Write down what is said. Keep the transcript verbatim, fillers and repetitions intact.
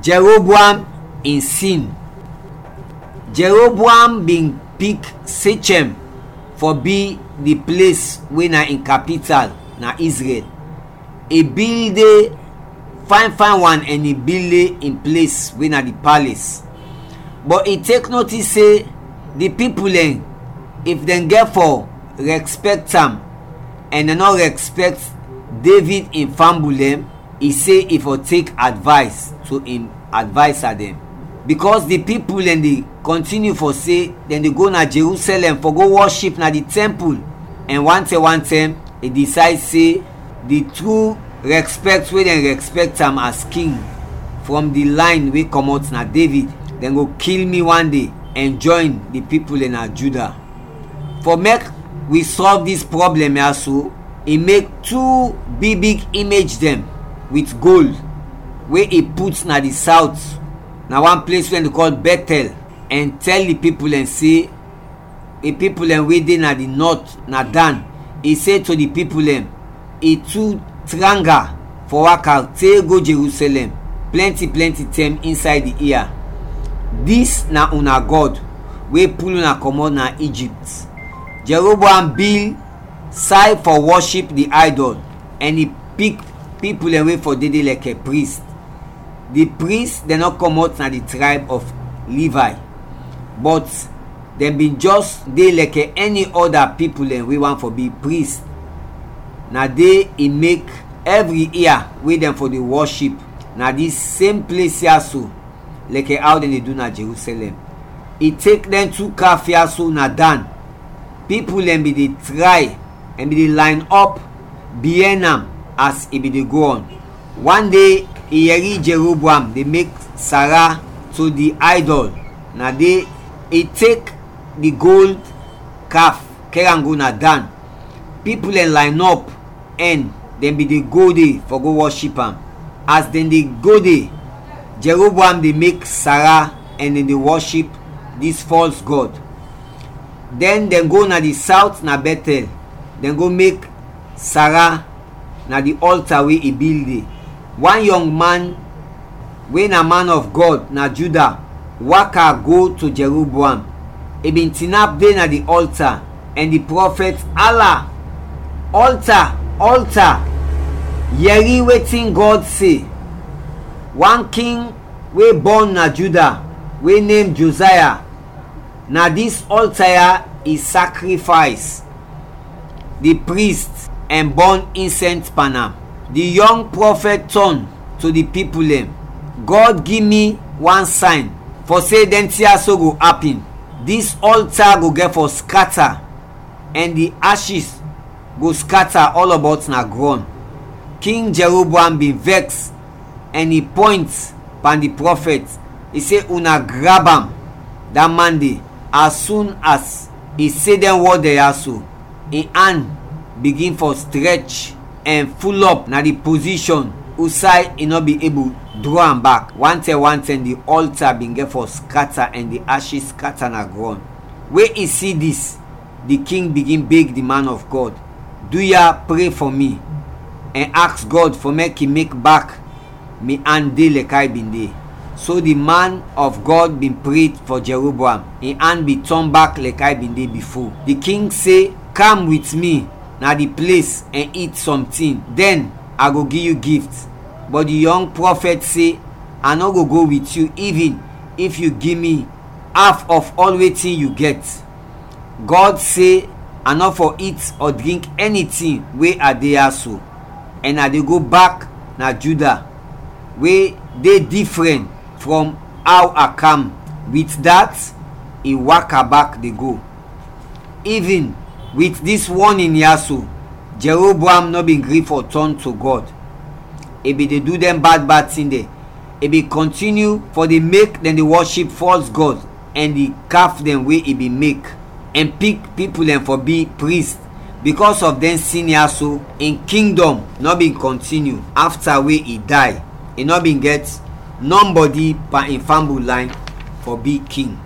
Jeroboam in sin. Jeroboam bin pik Sechem fɔ bi di ples we na in kapital na Izrɛl. I bil de fayn fayn wan ɛn i bil de in ples we na di pales. Bɔt i tek notis se di pipul dɛn, if dɛn gɛt fɔ rɛspɛkt am ɛn dɛn nɔ rɛspɛkt Devid in fambul dɛn, i se i fɔ tek advays to in advaysa dɛn. Bikɔs di pipul dɛn de kɔntiniu fɔ se dɛn de go na Jerusɛlɛm fɔ go wɔship na di tɛmpul, ɛn wantɛm wantɛm i disayd se di tru rɛspɛkt we dɛn rɛspɛkt am as king frɔm di layn we kɔmɔt na Devid, dɛn go kil mi wan de ɛn jɔyn di pipul dɛn na Juda. Fɔ mek wi sɔlv dis prɔblɛm ya so, i mek tu big big imej dɛn wit gold we i put na di sawt, na wan ples we dɛn de kɔl Bɛtɛl, ɛn tɛl di pipul dɛn se, di pipul dɛn we de na di nɔt, na Dan, i se to di pipul dɛn, i tu tranga fɔ waka te go Jerusɛlɛm plɛnti plɛnti tɛm insay di ia. Dis na una gɔd we pul una kɔmɔt na Ijipt. Jeroboam bil say fɔ wɔship di aydɔl ɛn i pik pipul dɛn we fɔ dede lɛkɛ prist. Di prist dɛn nɔ kɔmɔt na di trayb ɔf Livay, bɔt dɛn bin jɔs de lɛkɛ ɛni ɔda pipul dɛn we want fɔ bi prist. Na de i mek ɛvri ia we dɛn fɔ de wɔship na dis sem ples ya so, lɛkɛ aw dɛn de du na Jerusɛlɛm. I tek dɛn tu kaf ya so na Dan. Pipul dɛn bin de tray ɛn bin de layn ɔp biɛn am as i bin de go ɔn. Wan de i yɛri Jeroboam de mek sara to di aydɔl, na de i tek di gold kaf kɛr am go na Dan. Pipul dɛn layn ɔp ɛn dɛn bin de go de fɔ go wɔship am. As dɛn de go de, Jeroboam de mek sara ɛn dɛn de wɔship dis fɔls gɔd. Dɛn dɛn go na di sawt na Bɛtɛl, dɛn go mek sara na di ɔlta we i bil de. Wan yɔng man we na man ɔf Gɔd na Juda waka go to Jeroboam. I bin tinap de na di ɔlta ɛn di prɔfɛt ala, "Ɔlta, ɔlta, yɛri wetin Gɔd se! Wan king we bɔn na Juda we nem Jozaya, na dis ɔlta ya i sakrifays di prist ɛn bɔn insɛns pan am." Di yɔng prɔfɛt tɔn to di pipul dɛn, "Gɔd gi mi wan sayn fɔ se dɛn tin ya so go apin. Dis ɔlta go gɛt fɔ skata ɛn di ashis go skata ɔlɔbɔt na grɔn." King Jeroboam bin vɛks ɛn i pɔynt pan di prɔfɛt, i se, "Una grab am, da man de, as sun as i se dɛn wɔd dɛn ya so." In an bigin fɔ strɛch ɛn fulɔp na di pozishɔn usay i nɔ bin ebul dro am bak. Wantɛm wantɛm di ɔlta bin gɛt fɔ skata ɛn di ashis skata na grɔn. We i si dis, di king bigin beg di man ɔf Gɔd, "Duya, pre fɔ mi ɛn aks Gɔd fɔ mek i mek bak mi an de lɛkɛ i bin de." So di man ɔf Gɔd bin pre fɔ Jeroboam, in an bin tɔn bak lɛkɛ i bin de bifo. Di king se, "Kam wit mi na di ples ɛn it sɔntin, dɛn a go gi yu gift." Bɔt di yɔng prɔfɛt se, "A nɔ go go wit yu ivin if yu gi mi af ɔf ɔl wetin yu gɛt. Gɔd se a nɔ fɔ it ɔ drink ɛni tin we a de ya so, ɛn a de go bak na Juda, we de difrɛn frɔm aw a kam." Wit dat, i waka bak de go. Ivin wit dis wɔnin ya so, Jeroboam nɔ bin gri fɔ tɔn to Gɔd. I bin de du dɛn bad bad tin dɛn. I bin kɔntiniu fɔ de mek dɛn de wɔship fɔls gɔd ɛn di kaf dɛn we i bin mek, ɛn pik pipul dɛn fɔ bi prist. Bikɔs ɔf dɛn sin ya so, in kingdɔm nɔ bin kɔntiniu afta we i day. I nɔ bin gɛt nɔmbɔdi pan in fambul layn fɔ bi king.